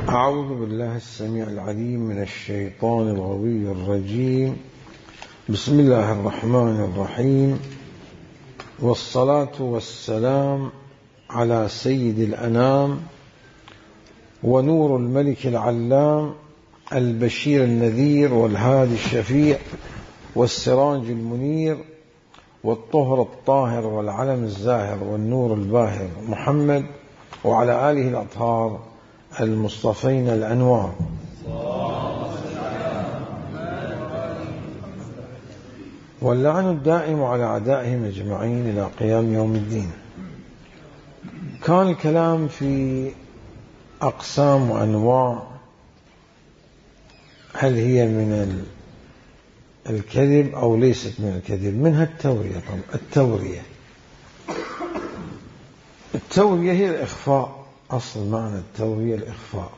أعوذ بالله السميع العليم من الشيطان الغوي الرجيم. بسم الله الرحمن الرحيم، والصلاة والسلام على سيد الأنام ونور الملك العلام البشير النذير والهادي الشفيع والسراج المنير والطهر الطاهر والعلم الزاهر والنور الباهر محمد وعلى آله الأطهار المصطفين الأنوار. واللعن الدائم على أعدائهم أجمعين إلى قيام يوم الدين. كان الكلام في أقسام وأنواع، هل هي من الكذب أو ليست من الكذب. منها التورية. طبعا التورية هي الإخفاء، أصل معنى التورية الإخفاء،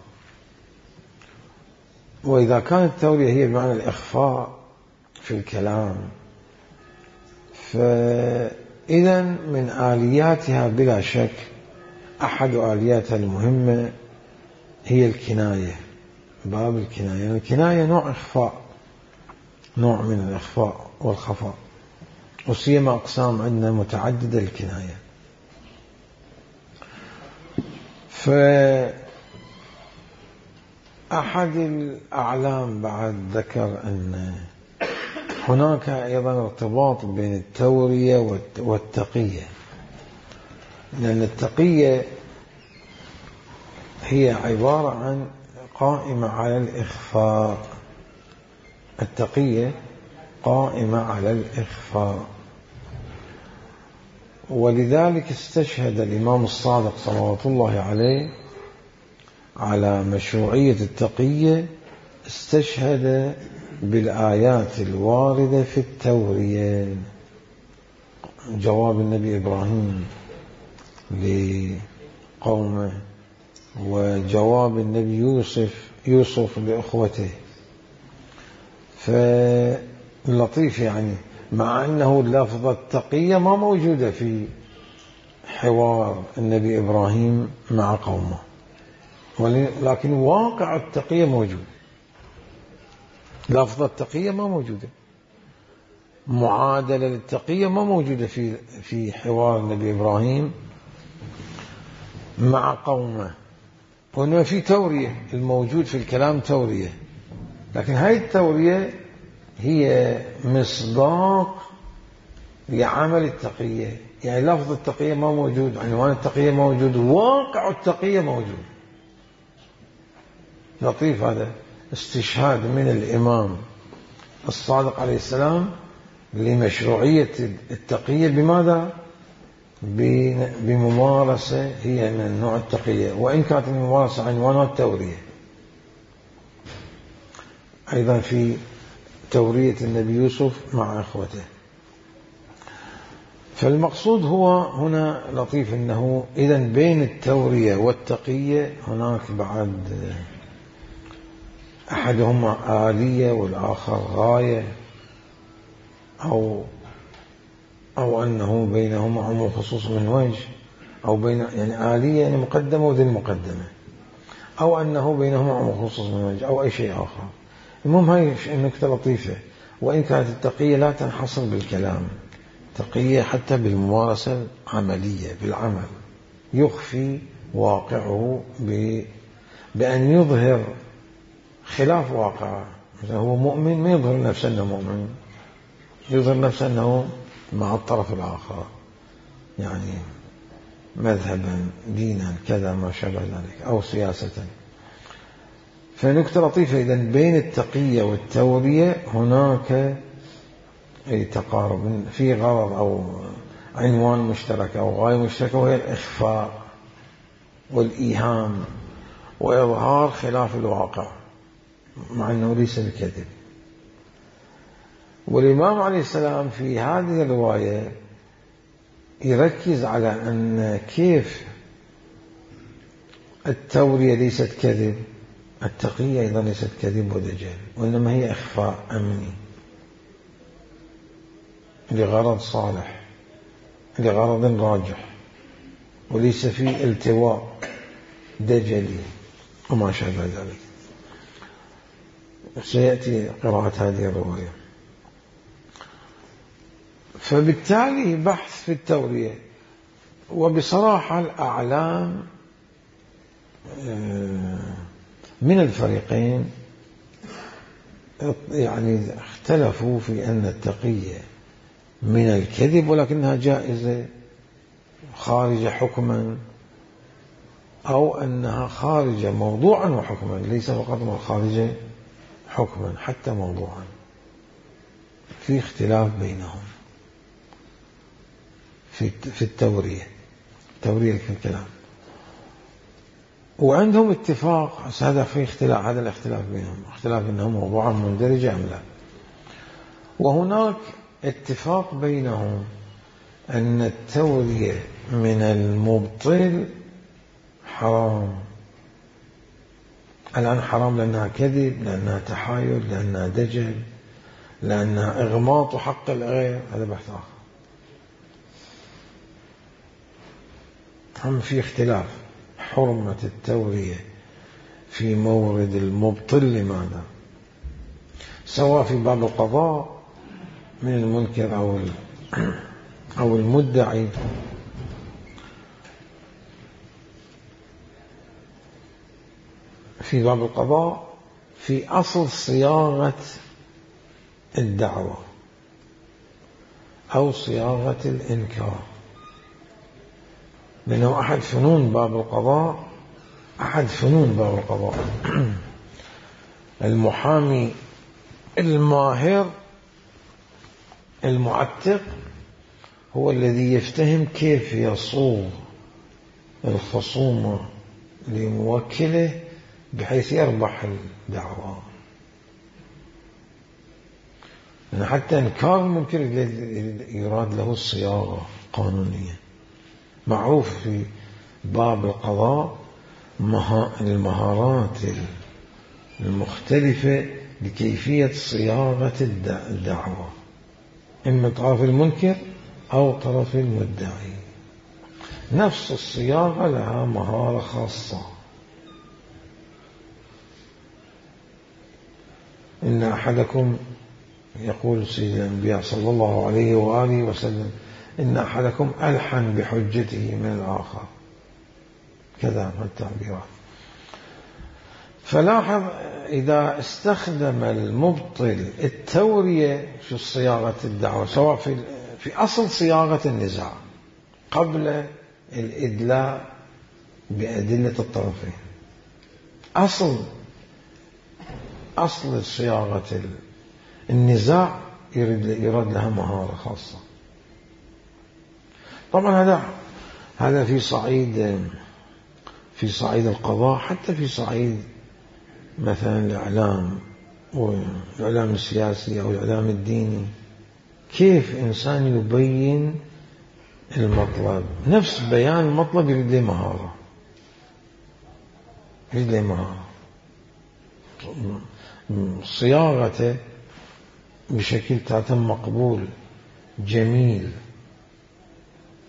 وإذا كانت التورية هي بمعنى الإخفاء في الكلام فإذا من آلياتها بلا شك أحد آلياتها المهمة هي الكناية، باب الكناية. الكناية نوع إخفاء، نوع من الإخفاء والخفاء، وسيما أقسام عندنا متعددة الكناية. فأحد الأعلام بعد ذكر أن هناك أيضا ارتباط بين التورية والتقية، لأن التقية هي عبارة عن قائمة على الإخفاء. التقية قائمة على الإخفاء، ولذلك استشهد الإمام الصادق صلوات الله عليه على مشروعية التقية، استشهد بالآيات الواردة في التورية. جواب النبي إبراهيم لقومه، وجواب النبي يوسف لأخوته. فاللطيف يعني مع أنه لفظة التقية ما موجودة في حوار النبي إبراهيم مع قومه، لكن واقع التقية موجود. لفظة التقية ما موجودة، معادلة للتقية ما موجودة في حوار النبي إبراهيم مع قومه، وإنما في تورية. الموجود في الكلام تورية، لكن هاي التورية هي مصداق لعمل التقية. يعني لفظ التقية ما موجود، عنوان التقية موجود، واقع التقية موجود. لطيف هذا استشهاد من الإمام الصادق عليه السلام لمشروعية التقية. بماذا؟ بممارسة هي من نوع التقية، وإن كانت الممارسة عنوانها التورية. أيضا في تورية النبي يوسف مع أخوته. فالمقصود هو هنا لطيف أنه إذن بين التورية والتقية هناك بعد أحدهما آلية والآخر غاية، أو أنه بينهما عموم خصوص من وجه، أو بين يعني آلية يعني مقدمة وذي المقدمة، أو أنه بينهما عموم خصوص من وجه، أو أي شيء آخر. المهم هاي النكتة لطيفة. وإن كانت التقية لا تنحصر بالكلام، تقية حتى بالممارسة العملية، بالعمل يخفي واقعه بأن يظهر خلاف واقعه. مثلا هو مؤمن ما يظهر نفسه أنه مؤمن، يظهر نفسه أنه مع الطرف الآخر، يعني مذهبا دينا كذا ما شابه ذلك، أو سياسة. فنكتة لطيفة. إذن بين التقية والتورية هناك تقارب في غرض أو عنوان مشترك أو غاية مشتركة، وهي الإخفاء والإيهام وإظهار خلاف الواقع مع أنه ليس بكذب. والإمام عليه السلام في هذه الرواية يركز على أن كيف التورية ليست كذب، التقية أيضا ليست كذب ودجال، وإنما هي إخفاء أمني لغرض صالح، لغرض راجح، وليس فيه التواء دجلي وما شابه ذلك. سيأتي قراءة هذه الرواية. فبالتالي بحث في التورية، وبصراحة الأعلام من الفريقين يعني اختلفوا في أن التقية من الكذب، ولكنها جائزة خارجة حكما، أو أنها خارجة موضوعا وحكما، ليس فقط خارجة حكما حتى موضوعا. في اختلاف بينهم في التورية الكلام، وعندهم اتفاق. هذا في اختلاف، هذا الاختلاف بينهم اختلاف انهم موضوعا مندرجة ام لا. وهناك اتفاق بينهم ان التورية من المبطل حرام. الآن حرام لأنها كذب، لأنها تحايل، لأنها دجل، لأنها إغماط حق الغير، هذا بحث آخر. هم في اختلاف حرمة التورية في مورد المبطل لماذا، سواء في باب القضاء من المنكر أو المدعي. في باب القضاء في أصل صياغة الدعوة أو صياغة الإنكار، لأنه أحد فنون باب القضاء المحامي الماهر المعتق هو الذي يفتهم كيف يصوغ الخصومة لموكله بحيث يربح الدعوة. لأن حتى إنكار المنكر يراد له الصياغة القانونية. معروف في باب القضاء المهارات المختلفة لكيفية صياغة الدعوة، إما طرف المنكر أو طرف المدعي. نفس الصياغة لها مهارة خاصة. إن أحدكم، يقول سيد الأنبياء صلى الله عليه وآله وسلم، إن أحدكم ألحن بحجته من الآخر، كذا من التعبيرات. فلاحظ إذا استخدم المبطل التورية في صياغة الدعوة، سواء في أصل صياغة النزاع قبل الإدلاء بأدلة الطرفين، أصل صياغة النزاع يراد لها مهارة خاصة. طبعا هذا في صعيد القضاء، حتى في صعيد مثلا الإعلام والإعلام السياسي أو الإعلام الديني. كيف إنسان يبين المطلب، نفس بيان المطلب يريد له مهارة، صياغته بشكل تاتم مقبول جميل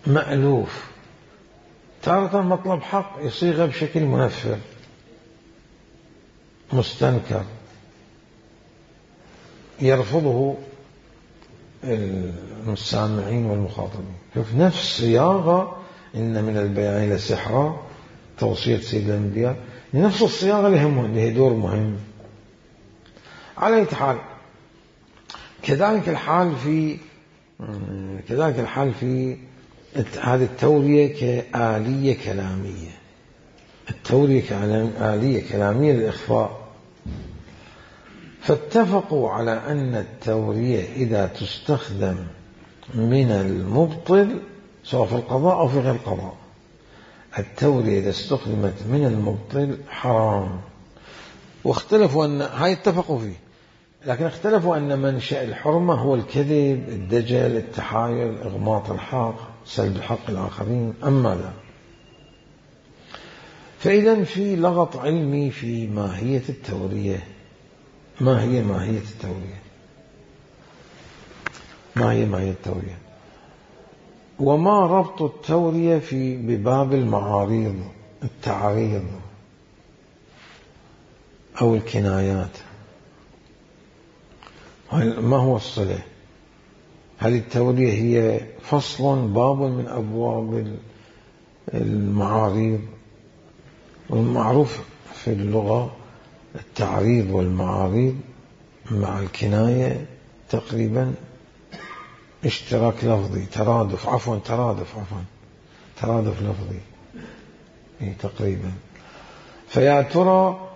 مألوف. تارة مطلب حق يصيغه بشكل منفر مستنكر يرفضه السامعين والمخاطبين. شوف نفس صياغة إن من البيان لسحرا، توصية سيد الأنبياء، نفس الصياغة اللي دور مهم. على أي حال، كذلك الحال في هذه التورية كآلية كلامية. التورية كآلية كلامية للإخفاء. فاتفقوا على أن التورية إذا تستخدم من المبطل سواء في القضاء أو في غير القضاء، التورية إذا استخدمت من المبطل حرام. واختلفوا هاي اتفقوا فيه، لكن اختلفوا أن منشأ الحرمة هو الكذب، الدجل، التحايل، إغماط الحق، سلب الحق الآخرين. أما لا، فإذا في لغط علمي في ماهية التورية. ما هي ماهية التورية؟ وما ربط التورية بباب المعاريض، التعريض؟ أو الكنايات. ما هو الصلة؟ هل التورية هي فصل باب من أبواب المعاريض؟ والمعروف في اللغة التعريض والمعاريض مع الكناية تقريبا اشتراك لفظي، ترادف لفظي تقريبا. فيا ترى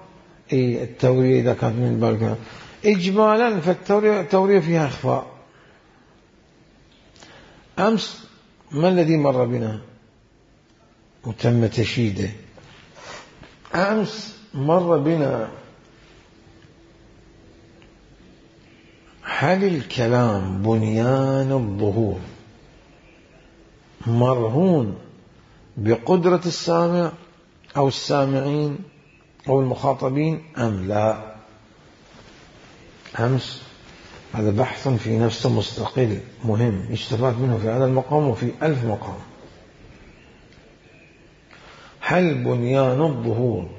التورية إذا كانت من بالك إجمالا، فالتورية فيها إخفاء. أمس ما الذي مر بنا وتم تشييده؟ أمس مر بنا هل الكلام بنيان الظهور مرهون بقدرة السامع أو السامعين أو المخاطبين أم لا؟ أمس هذا بحث في نفسه مستقل مهم يستفاد منه في هذا المقام وفي 1000 مقام. هل بنيان الظهور،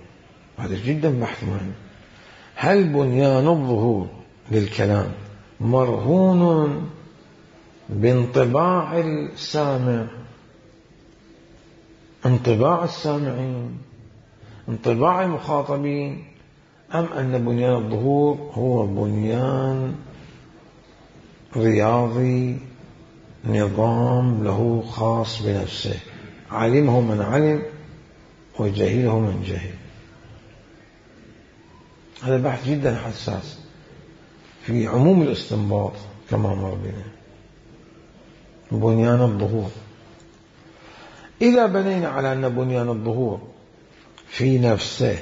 هذا جدا بحث مهم، هل بنيان الظهور للكلام مرهون بانطباع السامع، انطباع السامعين، انطباع المخاطبين، أم أن بنيان الظهور هو بنيان رياضي نظام له خاص بنفسه، علمه من علم وجهله من جهل؟ هذا بحث جدا حساس في عموم الاستنباط كما مر بنا. بنيان الظهور إذا بنينا على أن بنيان الظهور في نفسه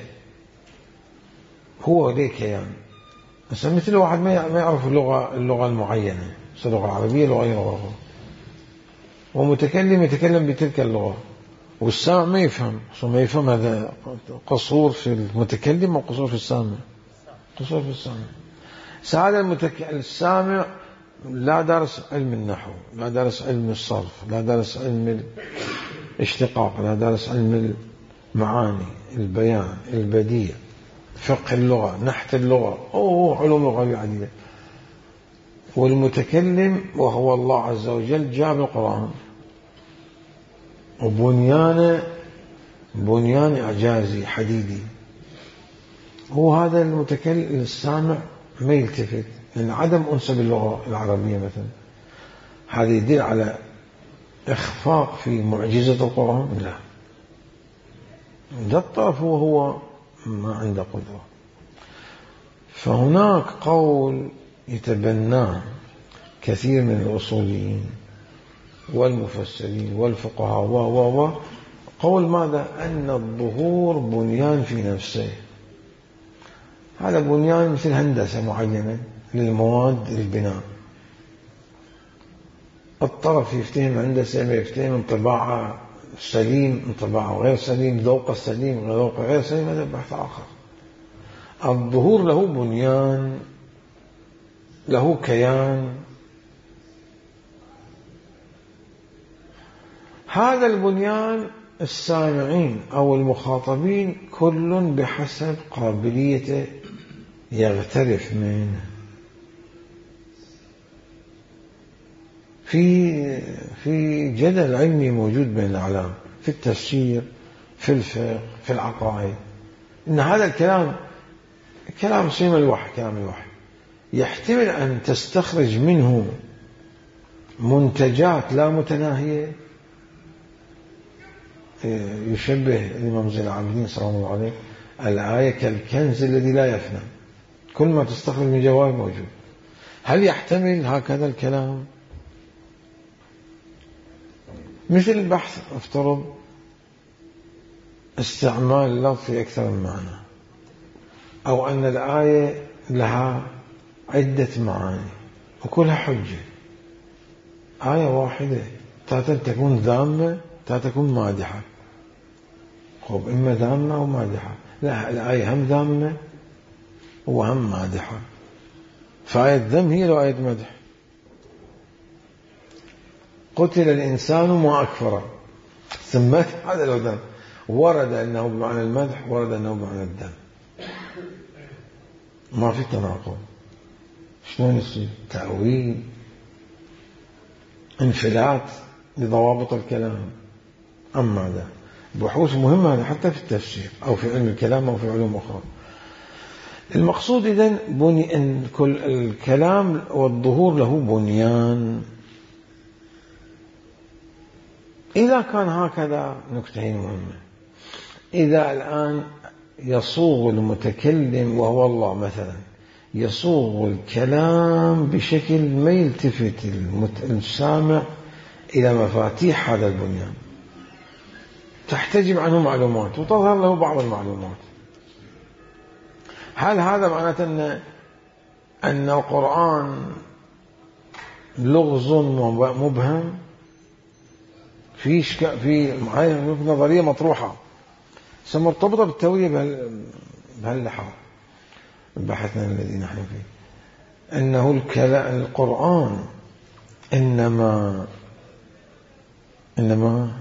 هو ذي كيان، مثل واحد ما يعرف اللغة المعينة، اللغة العربية لغة غير لغة، ومتكلم يتكلم بتلك اللغة والسامع ما يفهم، هذا قصور في المتكلم وقصور في السامع، قصور في السامع. سعادة السامع لا دارس علم النحو، لا دارس علم الصرف، لا دارس علم الاشتقاق، لا دارس علم المعاني، البيان، البديع، فقه اللغة، نحت اللغة، علوم لغوية عديدة. والمتكلم وهو الله عز وجل جاب القرآن بنيان إعجازي حديدي، هو هذا المتكلم السامع ما يلتفت، لأن عدم أنس باللغة العربية مثلا هذا يدل على إخفاق في معجزة القرآن؟ لا، ده الطرف هو ما عنده قدرة. فهناك قول يتبناه كثير من الأصوليين والمفسرين والفقهاء قول ماذا؟ أن الظهور بنيان في نفسه، هذا بنيان مثل هندسة معينة للمواد البناء. الطرف يفتهم هندسة ما يفتهم انطباعه سليم، انطباعه غير سليم، ذوقه سليم، ذوقه غير سليم، هذا بحث آخر. الظهور له بنيان، له كيان، هذا البنيان السامعين أو المخاطبين كل بحسب قابليته يغترف منه. في جدل علمي موجود بين الأعلام في التفسير، في الفقه، في العقائد، إن هذا الكلام كلام صيغ الوحي، كلام الوحي يحتمل أن تستخرج منه منتجات لا متناهية. يشبه الإمام زين العابدين صلى الله عليه الآية كالكنز الذي لا يفنى، كل ما تستخرج من جواب موجود. هل يحتمل هكذا الكلام؟ مثل البحث افترض استعمال اللفظ في أكثر من معنى، أو أن الآية لها عدة معاني وكلها حجة. آية واحدة تاتا تكون ذامة، تاتا تكون مادحة. إما ذامة أو مادحة، لا، الآية هم ذامة وهم مادحة، فآية ذم هي لو آية مدح. قتل الإنسان ما أكفره، سمت هذا لو ذم، ورد أنه بمعنى المدح، ورد أنه بمعنى الذم. ما في تناقض. شلون يصير؟ تأويل، انفلات لضوابط الكلام. أما هذا بحوث مهمة هذا حتى في التفسير أو في علم الكلام أو في علوم أخرى. المقصود إذن أن كل الكلام والظهور له بنيان. إذا كان هكذا نكتة مهمة، إذا الآن يصوغ المتكلم وهو الله مثلا يصوغ الكلام بشكل ما يلتفت السامع إلى مفاتيح هذا البنيان، تحتجب عنه معلومات وتظهر له بعض المعلومات، هل هذا معناته أن القرآن لغز مبهم؟ في نظرية مطروحة مرتبطة بالتوية بهاللحاظ بحثنا الذي نحن فيه، أنه القرآن إنما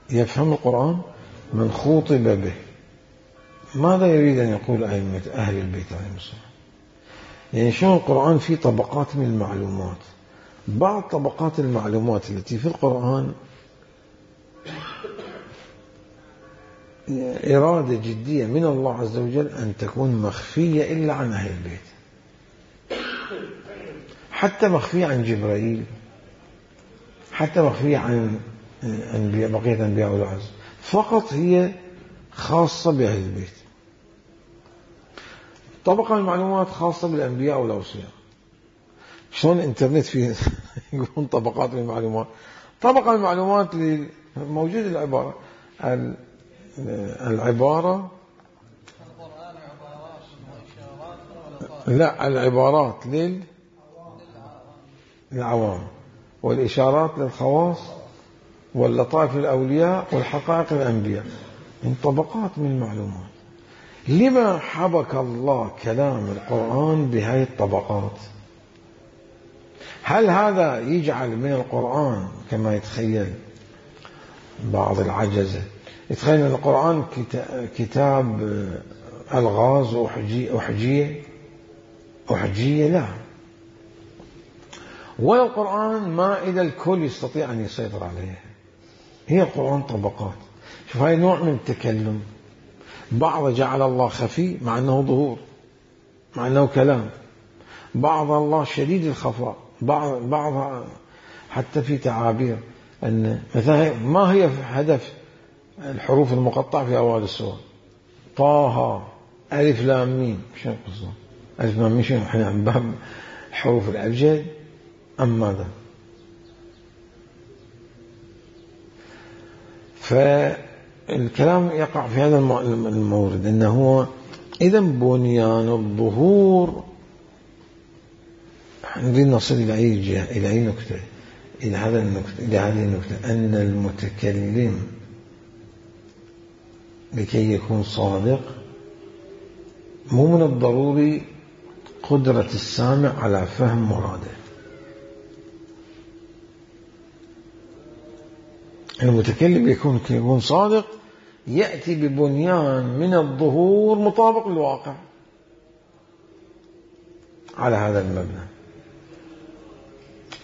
يفهم القرآن من خوطب به. ماذا يريد أن يقول أئمة أهل البيت عليهم السلام؟ يعني شلون القرآن فيه طبقات من المعلومات، بعض طبقات المعلومات التي في القرآن إرادة جدية من الله عز وجل أن تكون مخفية إلا عن أهل البيت، حتى مخفية عن جبرائيل، حتى مخفية عن بقية أنبياء العز، فقط هي خاصة بأهل البيت. طبقة المعلومات خاصة بالأنبياء والأوصياء. شلون الإنترنت فيه يقولون طبقات من المعلومات؟ طبقة المعلومات موجود العبارة لا العبارات للعوام، والإشارات للخواص، واللطائف للأولياء، والحقائق للأنبياء، من طبقات من المعلومات. لما حبك الله كلام القرآن بهذه الطبقات؟ هل هذا يجعل من القرآن كما يتخيل بعض العجزة، يتخيل من القرآن كتاب ألغاز أحجية؟ لا، ولا القرآن مائدة الكل يستطيع أن يسيطر عليها. هي القرآن طبقات. شوف هاي نوع من التكلم، بعض جعل الله خفي مع أنه ظهور، مع أنه كلام، بعض الله شديد الخفاء، بعض حتى في تعابير أن مثلا ما هي هدف الحروف المقطعة في أوائل السور؟ طه ألف لام ميم. شنو قصده ألف لام ميم؟ شنو احنا عن باب حروف الأبجد أم ماذا؟ فالكلام يقع في هذا المورد، أنه هو إذا بنيان الظهور. نريد نصل إلى أي جهة، إلى أي نكتة، إلى هذه النكتة، أن المتكلم لكي يكون صادق مو من الضروري قدرة السامع على فهم مراده. المتكلم يكون صادق يأتي ببنيان من الظهور مطابق للواقع على هذا المبنى.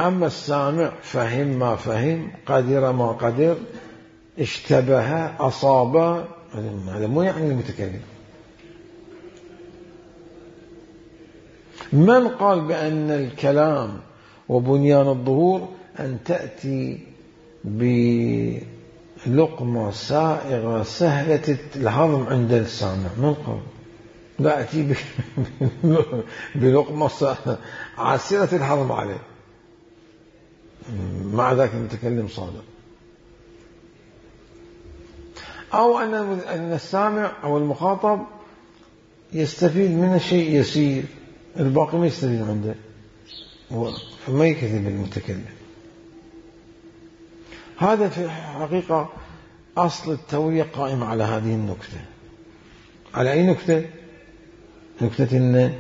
أما السامع فهم ما فهم، قدر ما قدر، اشتبه، أصاب، هذا مو يعني المتكلم. من قال بأن الكلام وبنيان الظهور أن تأتي بلقمة سائغة سهلة الهضم عند السامع؟ من قال؟ لا أتي بلقمة عسيرة الهضم عليه، مع ذلك المتكلم صادق. أو أن السامع أو المخاطب يستفيد من شيء يسير، الباقي ما يستفيد عنده، فما يكذب المتكلم. هذا في حقيقة أصل التوية قائم على هذه النكتة. على أي نكتة؟ نكتة أن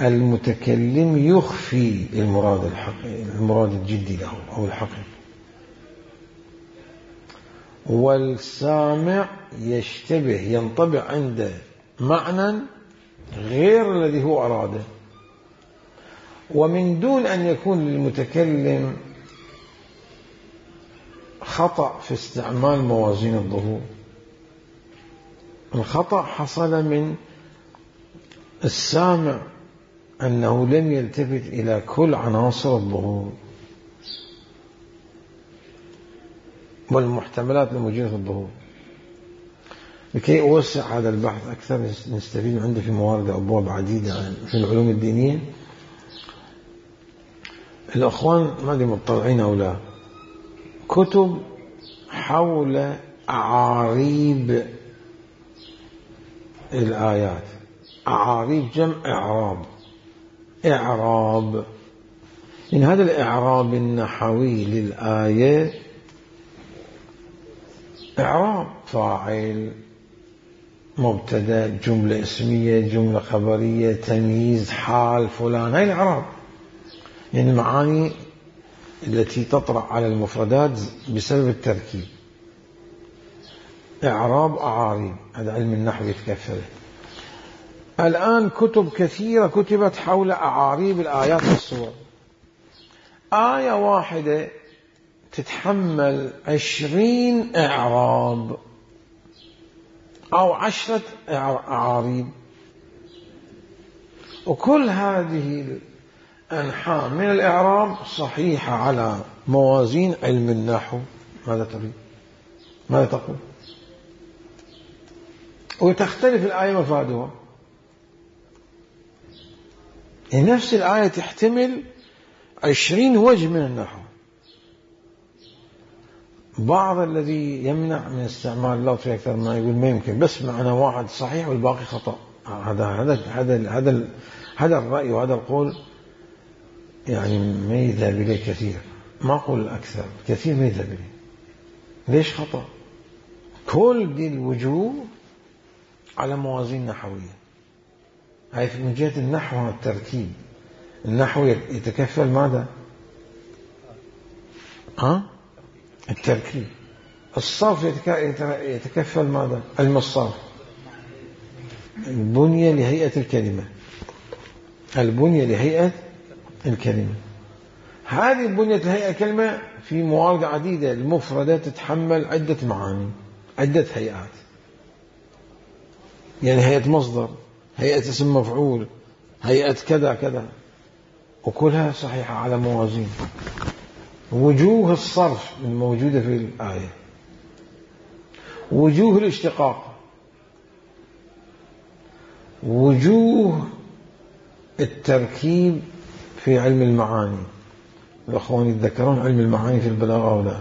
المتكلم يخفي المراد الجدي له أو الحقيقي، والسامع يشتبه، ينطبع عنده معنى غير الذي هو أراده، ومن دون أن يكون للمتكلم خطأ في استعمال موازين الظهور. الخطأ حصل من السامع أنه لم يلتفت إلى كل عناصر الظهور والمحتملات الموجودة في الظهور. لكي أوسع هذا البحث أكثر نستفيد عنده في موارد أبواب عديدة في العلوم الدينية. الأخوان ما أدري مطلعين أو لا، كتب حول أعاريب الآيات. أعاريب جمع إعراب. إعراب إن هذا الإعراب النحوي للآية إعراب فاعل، مبتدأ، جملة اسمية، جملة خبرية، تمييز، حال فلان، هاي الإعراب. يعني المعاني التي تطرأ على المفردات بسبب التركيب. إعراب أعاريب، هذا علم النحو يتكفله. الآن كتب كثيرة كتبت حول أعاريب الآيات والسور. آية واحدة تتحمل 20 إعراب أو 10 أعاريب، وكل هذه الأنحاء من الإعراب صحيحة على موازين علم النحو. ماذا تريد؟ ماذا تقول؟ وتختلف الآية مفادها. نفس الآية تحتمل 20 وجه من النحو. بعض الذي يمنع من استعمال اللفظ في أكثر ما يقول ما يمكن، بس معنى واحد صحيح والباقي خطأ. هذا الرأي وهذا القول يعني ما يذهب إليه كثير، ما أقول الأكثر، كثير ما يذهب إليه. ليش خطأ؟ كل دي الوجوه على موازين نحوية. هاي من جهة النحو والتركيب. النحو يتكفل ماذا؟ التركيب. الصرف يتكفل ماذا؟ علم الصرف. البنية لهيئة الكلمة. البنية لهيئة الكلمة. هذه البنية لهيئة الكلمة في موارد عديدة. المفردات تتحمل عدة معاني، عدة هيئات. يعني هيئة مصدر، هيئة اسم مفعول، هيئة كذا كذا، وكلها صحيحة على موازين. وجوه الصرف الموجودة في الآية، وجوه الاشتقاق، وجوه التركيب في علم المعاني. الأخوان يتذكرون علم المعاني في البلاغة أو لا؟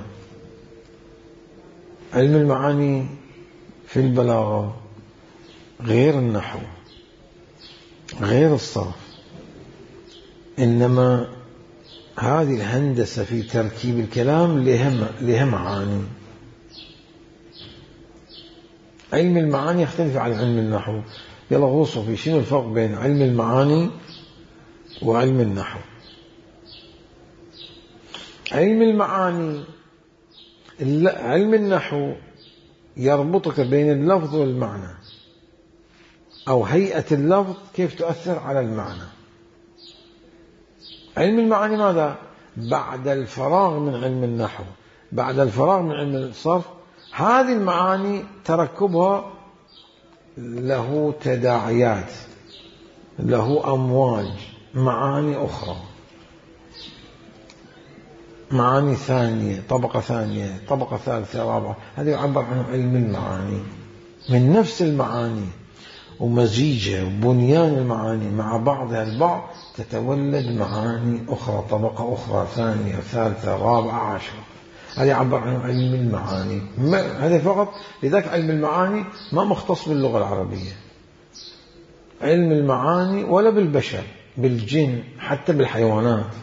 علم المعاني في البلاغة غير النحو، غير الصرف، إنما هذه الهندسة في تركيب الكلام لها معاني. علم المعاني يختلف عن علم النحو. يلا غوصوا في شنو الفرق بين علم المعاني وعلم النحو. علم المعاني، علم النحو يربطك بين اللفظ والمعنى، أو هيئة اللفظ كيف تؤثر على المعنى. علم المعاني ماذا؟ بعد الفراغ من علم النحو، بعد الفراغ من علم الصرف، هذه المعاني تركبها له تداعيات، له أمواج، معاني أخرى، معاني ثانية، طبقة ثانية، طبقة ثالثة، رابعة. هذا يعبر عنه علم المعاني. من نفس المعاني ومزيجها وبنيان المعاني مع بعضها البعض تتولد معاني أخرى، طبقة أخرى، ثانية، ثالثة، رابعة، عشرة. هذا يعبر عنه علم المعاني. هذا فقط. لذلك علم المعاني ما مختص باللغة العربية. علم المعاني ولا بالبشر، بالجن، حتى بالحيوانات،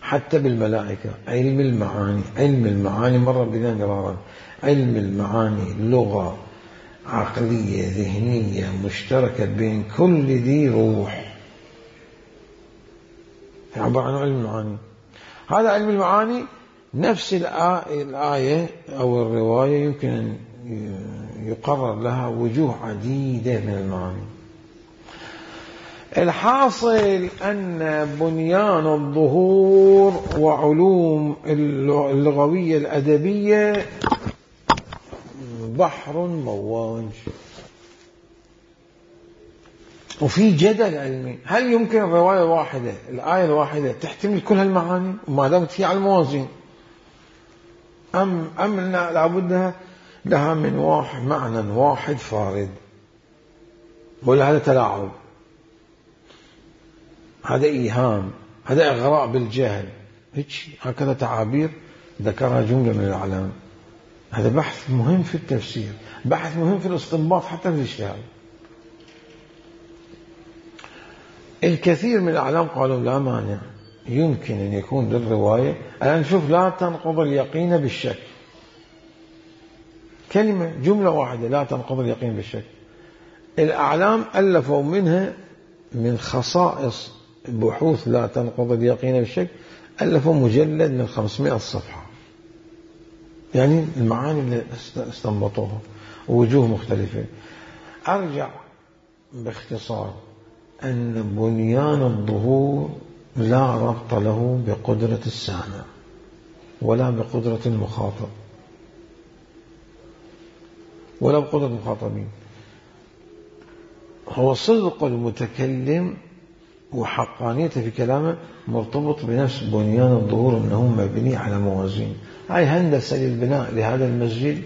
حتى بالملائكة. علم المعاني، علم المعاني مر بنا مرارا. علم المعاني لغة عقلية ذهنية مشتركة بين كل ذي روح، يعبر عن علم المعاني. هذا علم المعاني. نفس الآية أو الرواية يمكن أن يقرر لها وجوه عديدة من المعاني. الحاصل أن بنيان الظهور وعلوم اللغوية الأدبية بحر مواج، وفي جدل علمي هل يمكن الرواية الواحدة الآية الواحدة تحتمل كل هالمعاني وما دامت هي على الموازين، أم لابد لها من معنى واحد فارد، ولا هذا تلاعب، هذا إيهام، هذا إغراء بالجهل، هكذا تعابير ذكرها جملة من الأعلام. هذا بحث مهم في التفسير، بحث مهم في الاستنباط حتى في الاجتهاد. الكثير من الأعلام قالوا لا مانع، يمكن أن يكون للرواية، الآن نشوف لا تنقض اليقين بالشك، كلمة جملة واحدة لا تنقض اليقين بالشك. الأعلام ألفوا منها من خصائص بحوث لا تنقض اليقين بالشك، ألفوا مجلد من 500 صفحة، يعني المعاني اللي استنبطوها ووجوه مختلفة. أرجع باختصار أن بنيان الظهور لا ربط له بقدرة السامع ولا بقدرة المخاطب ولا بقدرة المخاطبين، هو صدق المتكلم وحقانيته في كلامه مرتبط بنفس بنيان الظهور، أنه مبني على موازين. هاي هندسة للبناء لهذا المسجد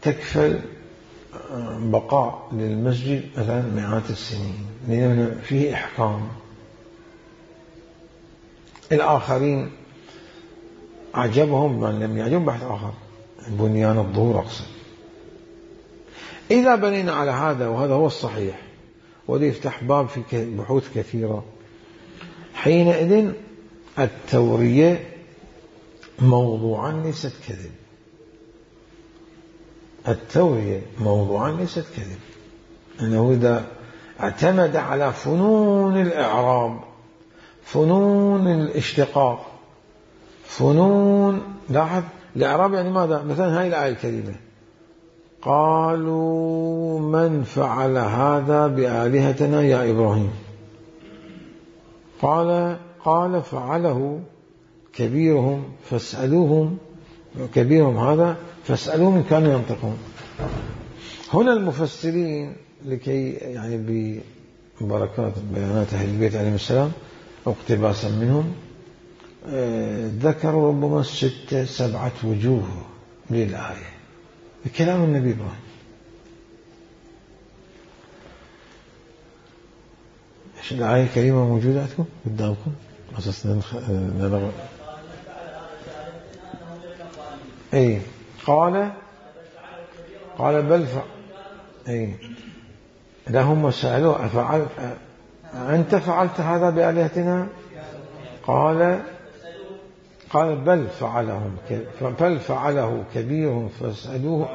تكفل بقاء للمسجد مثلا مئات السنين، لأن فيه إحكام. الآخرين أعجبهم من لم يعجب بحث آخر، بنيان الظهور أقصد. إذا بنينا على هذا وهذا هو الصحيح، وده يفتح باب في بحوث كثيرة، حينئذ التورية موضوعا ليست كذب، التورية موضوعا ليست كذب، أنه إذا اعتمد على فنون الإعراب، فنون الاشتقاق، فنون، لاحظ الإعراب يعني ماذا؟ مثلا هاي الآية الكريمة، قالوا من فعل هذا بآلهتنا يا إبراهيم، قال فعله كبيرهم فاسألوهم، كبيرهم هذا فاسألوهم إن كانوا ينطقون. هنا المفسرين لكي يعني ببركات بيانات أهل البيت عليهم السلام واقتباسا منهم ذكروا ربما 6-7 وجوه للآية بكلام النبي إبراهيم. إيش الآية الكريمة موجودة عندكم قدامكم أساسا أي قال بل أي لهم سألوا أنت فعلت هذا بآلهتنا؟ قال بل فعله كبيرهم فاسألوه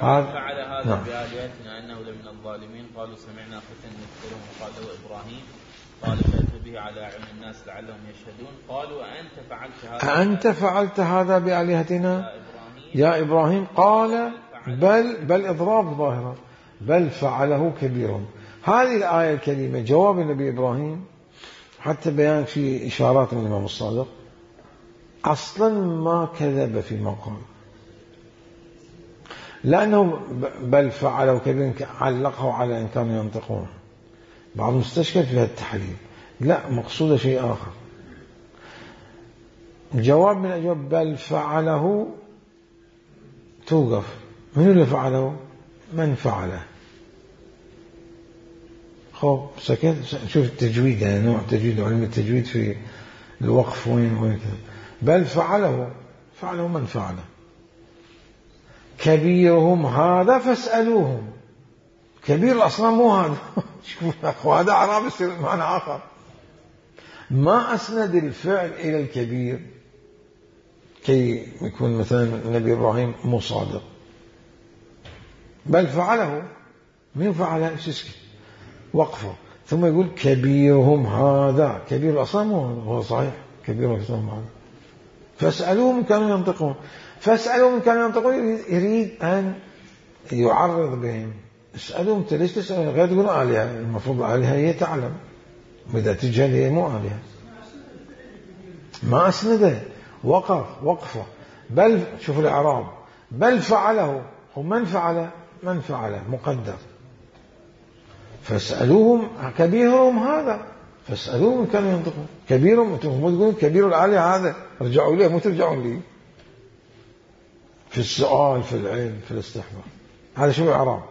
فعل هذا بآلهتنا أنه لمن الظالمين. قالوا سمعنا فتى يذكرهم وقال له إبراهيم قال فأتوا به على أعين الناس لعلهم يشهدون. قالوا أأنت فعلت هذا بآلهتنا يا إبراهيم؟ قال بل إضراب ظاهرة، بل فعله كبيرهم. هذه الآية الكريمة جواب النبي إبراهيم، حتى بيان في إشارات من الإمام الصادق، أصلا ما كذب في مقام، لأنه بل فعله كبيرهم علقه على إن كانوا ينطقون، بعض مستشكل في هذا التحليل، لا مقصود شيء آخر. جواب من أجواب بل فعله توقف، من اللي فعله؟ من فعله. خب سكت، شوف التجويد، يعني نوع تجويد علم التجويد في الوقف وين كذا. بل فعله من فعله، كبيرهم هذا فاسألوهم. كبير الأصنام مو هذا شوف هذا أعراب يصير معنى آخر، ما أسند الفعل إلى الكبير كي يكون مثلا النبي إبراهيم مو صادق. بل فعله، من فعله؟ وقفه، ثم يقول كبيرهم هذا، كبير الأصنام هو صحيح كبير الأصنام هذا، فاسألوهم كانوا ينطقون. فاسألوهم كانوا ينطقون، يريد أن يعرض بهم اسألهم أنت ليش تسأل غير تقول آلهة؟ المفروض آلهة هي تعلم، وإذا تجهل هي مو آلهة. ما أسنده، وقفة. بل شوف الإعراب، بل فعله. ومن فعله؟ من فعله مقدر. فاسألوهم كبيرهم هذا، فاسألوهم إن كانوا ينطقون. كبيرهم، أنتم تقولون كبير الآلهة هذا، ارجعوا لي، مو ترجعون لي في السؤال، في العلم، في الاستحضار. هذا شو الإعراب.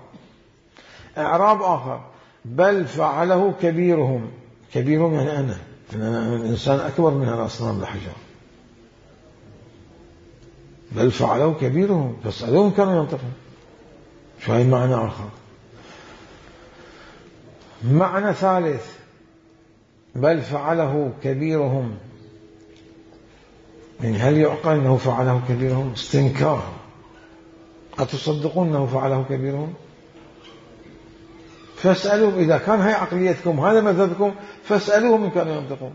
إعراب آخر، بل فعله كبيرهم. كبيرهم يعني أنا إنسان أكبر من الأصنام الحجر. بل فعله كبيرهم فاسألوهم كانوا ينطقون. شو هاي معنى آخر. معنى ثالث، بل فعله كبيرهم، يعني هل يعقل أنه فعله كبيرهم؟ استنكار. أتصدقون أنه فعله كبيرهم؟ فاسألوهم إذا كان هاي عقليتكم، هذا مذهبكم، فاسألوهم إن كانوا ينطقون.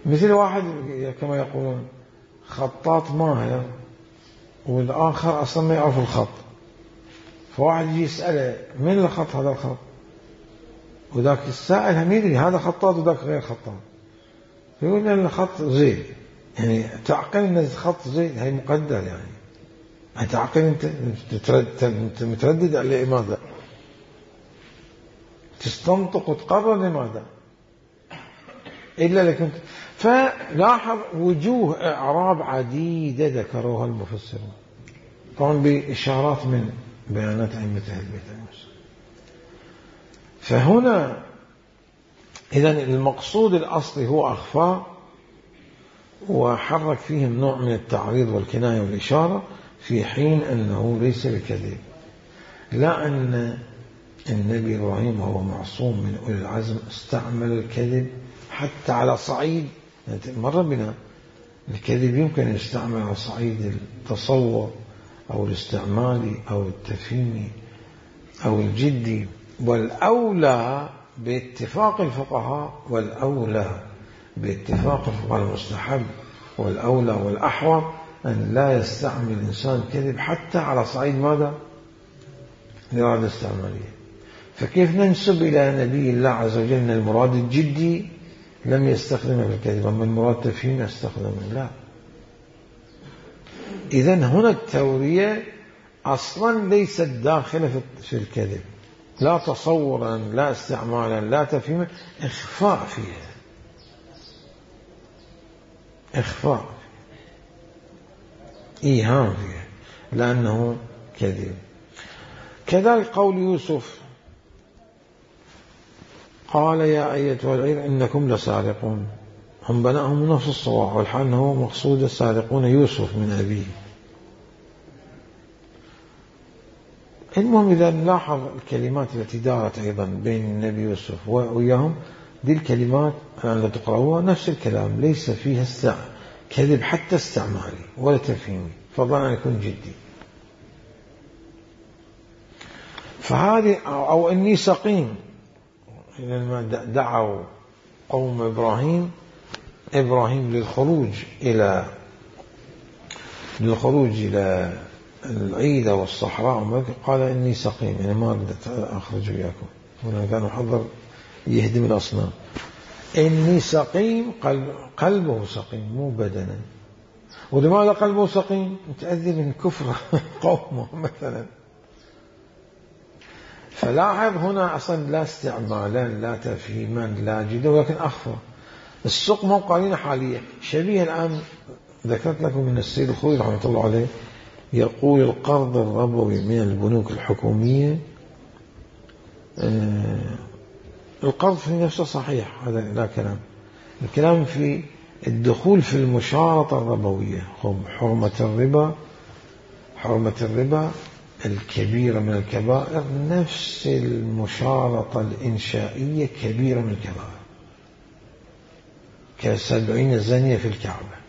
مثل واحد كما يقولون خطاط ماهر والآخر أصلا ما يعرف الخط، فواحد يجي يسأله من الخط هذا الخط، وذاك السائل هم يدري هذا خطاط وذاك غير خطاط، يقول أن الخط زين، يعني تعقل أن الخط زين، هي مقدر، يعني تعقل أنت متردد على لماذا؟ تستنطق وتقرر لماذا؟ إلا لكم. فلاحظ وجوه إعراب عديدة ذكروها المفسرون، طبعا بإشارات من بيانات أئمة أهل البيت المسلم. فهنا إذن المقصود الأصلي هو أخفاء، وحرك فيهم نوع من التعريض والكناية والإشارة، في حين أنه ليس بكذب. لا أن النبي إبراهيم وهو معصوم من أولي العزم استعمل الكذب حتى على صعيد، مر بنا الكذب يمكن أن يستعمل على صعيد التصور أو الاستعمالي أو التفهيمي أو الجدي، والأولى باتفاق الفقهاء، والأولى باتفاق الفقهاء المستحب، والأولى والأحوط أن لا يستعمل الإنسان الكذب حتى على صعيد ماذا؟ الإرادة الاستعمالية. فكيف ننسب إلى نبي الله عز وجل أن المراد الجدي لم يستخدمه في الكذب، أما المراد تفهيم يستخدمه؟ لا. إذن هنا التورية أصلا ليست داخلة في الكذب، لا تصورا لا استعمالا لا تفهيما، إخفاء فيها، إخفاء إيهام فيها، لأنه كذب. كذلك قول يوسف قال يا أيتها العير إنكم لسارقون، هم بناهم نفس الصواع، والحال أنه مقصود السارقون يوسف من أبيه. المهم إذا نلاحظ الكلمات التي دارت أيضا بين النبي يوسف وإياهم، دي الكلمات التي تقرأوها نفس الكلام، ليس فيها كذب حتى استعمالي ولا تفهيمي، فضلا أن يكون جدي. فهذه أو إني سقيم، لما دعوا قوم إبراهيم للخروج إلى العيدة والصحراء، قال إني سقيم، يعني ما أردت أخرج وياكم، هنا كانوا حضر يهدم الأصنام. إني سقيم، قلبه سقيم مو بدنا. ولماذا قلبه سقيم؟ متأذي من كفر قومه مثلا. فلاحظ هنا أصلا لا استعمالا لا تفهيما لا جدا، ولكن أخفى. السقم قرينة حالية شبيه. الآن ذكرت لكم من السيد الخوي رحمة الله عليه يقول القرض الربوي من البنوك الحكومية، القرض في نفسه صحيح، هذا لا كلام. الكلام في الدخول في المشارطة الربوية. حرمة الربا الكبيرة من الكبائر، نفس المشارطة الإنشائية كبيرة من الكبائر، ك70 زانية في الكعبة.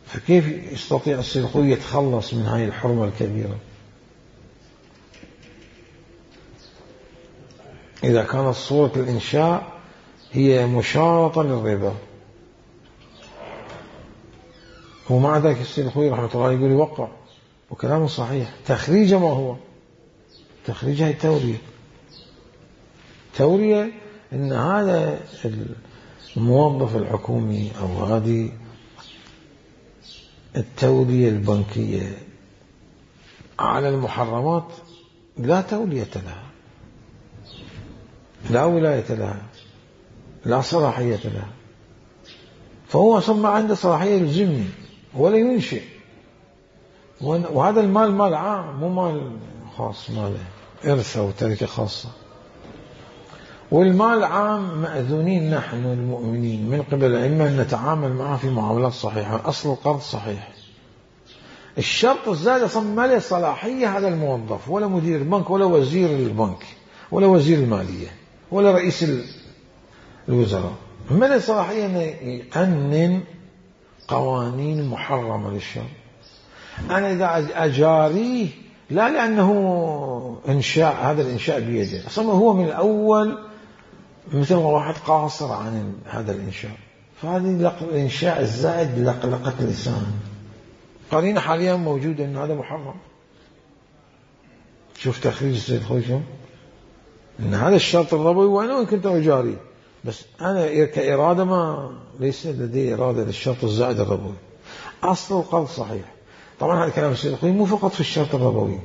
فكيف يستطيع السيد الخوي يتخلص من هذه الحرمة الكبيرة إذا كانت صورة الإنشاء هي مشارطة للربا؟ ومع ذلك السيد الخوي رحمة الله يقول يوقع، وكلامه صحيح. تخريجه ما هو؟ تخريجها التورية. تورية إن هذا الموظف الحكومي أو هذه التورية البنكية على المحرمات لا تولية لها، لا ولاية لها، لا صلاحية لها، فهو أصلا ما عنده صلاحية يلزمني ولا ينشئ. وهذا المال مال عام مو مال خاص، ماله إرث أو تركة خاصة. والمال عام مأذونين نحن المؤمنين من قبل الأئمة أن نتعامل معه في معاملات صحيحة. أصل القرض صحيح. الشرط الزائد أصلا ما له صلاحية هذا الموظف ولا مدير البنك ولا وزير البنك ولا وزير المالية ولا رئيس الوزراء، ما له صلاحية أن يقنن قوانين محرمة للشرع. أنا إذا أجاريه لا لأنه إنشاء، هذا الإنشاء بيده، أصلا هو من الأول مثل واحد قاصر عن هذا الإنشاء، فهذه الإنشاء الزائد لقلقة لسان. قرينة حاليا موجودة أن هذا محرم. شوف تخريج السيد الخوي أن هذا الشرط الربوي وأنا وإن كنت أجاري، بس أنا كإرادة ما ليس لدي إرادة للشرط الزائد الربوي. أصل القرض صحيح. طبعا هذا كلام السيد الخوي مو فقط في الشرط الربوي،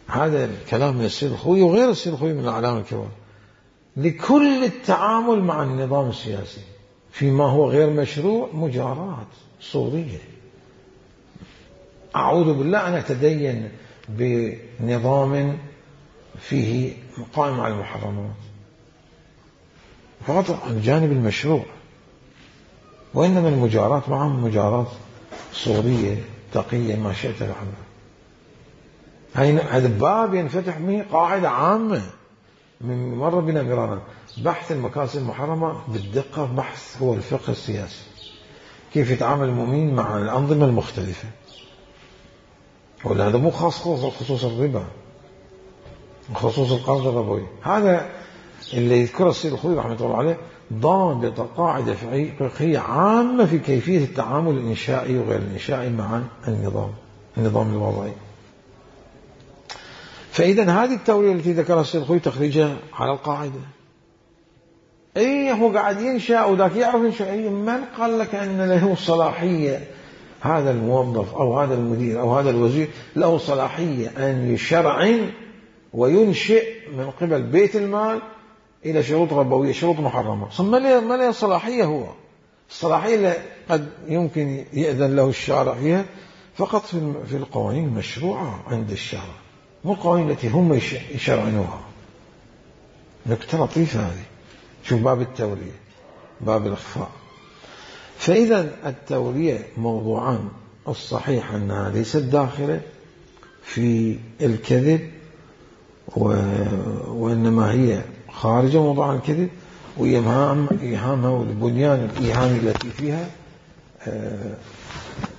هذا الكلام من السيد الخوي وغير السيد الخوي من الأعلام الكبار لكل التعامل مع النظام السياسي فيما هو غير مشروع. مجارات صورية. أعوذ بالله أن أتدين بنظام فيه قائم على المحرمات فقط عن جانب المشروع، وإنما المجارات معهم مجارات صورية تقية ما شئت لحظة. هذا باب ينفتح به قاعدة عامة من مر بنا مرارا. بحث المكاسب المحرمة بالدقة بحث هو الفقه السياسي، كيف يتعامل المؤمن مع الأنظمة المختلفة. وهذا مو خاص خصوص الربا وخصوص القرض الربوي. هذا اللي يذكره السيد الخوي رحمة الله عليه ضابط قاعدة فقهية عامة في كيفية التعامل الإنشائي وغير الإنشائي مع النظام الوضعي. فإذا هذه التورية التي ذكرها السيد الخوي تخريجها على القاعدة. أي هو قاعد ينشأ وذاك يعرف ينشأ. من قال لك أن له صلاحية هذا الموظف أو هذا المدير أو هذا الوزير له صلاحية أن يشرعن وينشئ من قبل بيت المال إلى شروط ربوية، شروط محرمة؟ ما له صلاحية. هو الصلاحية اللي قد يمكن يأذن له الشارع فيها فقط في القوانين المشروعة عند الشارع، مو القوانين التي هم يشرعنوها. نكتة لطيفة هذه. شوف باب التورية، باب الإخفاء. فإذا التورية موضوعان، الصحيح أنها ليست داخلة في الكذب وإنما هي خارج موضوع الكذب، وإيهامها والبنيان الإيهامي التي فيها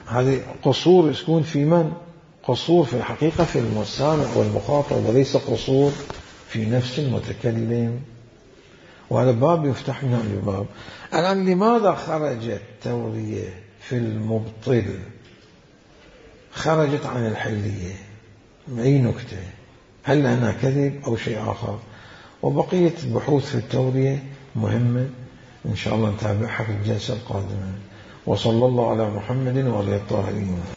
هذه قصور يكون في من؟ قصور في الحقيقة في المستمع والمخاطب وليس قصور في نفس المتكلم. وهذا باب يفتح لنا الباب. الآن لماذا خرجت التورية في المبطل؟ خرجت عن الحلية. أي نكتة؟ هل هنا كذب أو شيء آخر؟ وبقية بحوث في التورية مهمة إن شاء الله نتابعها في الجلسة القادمة. وصلى الله على محمد وعلى الطاهرين.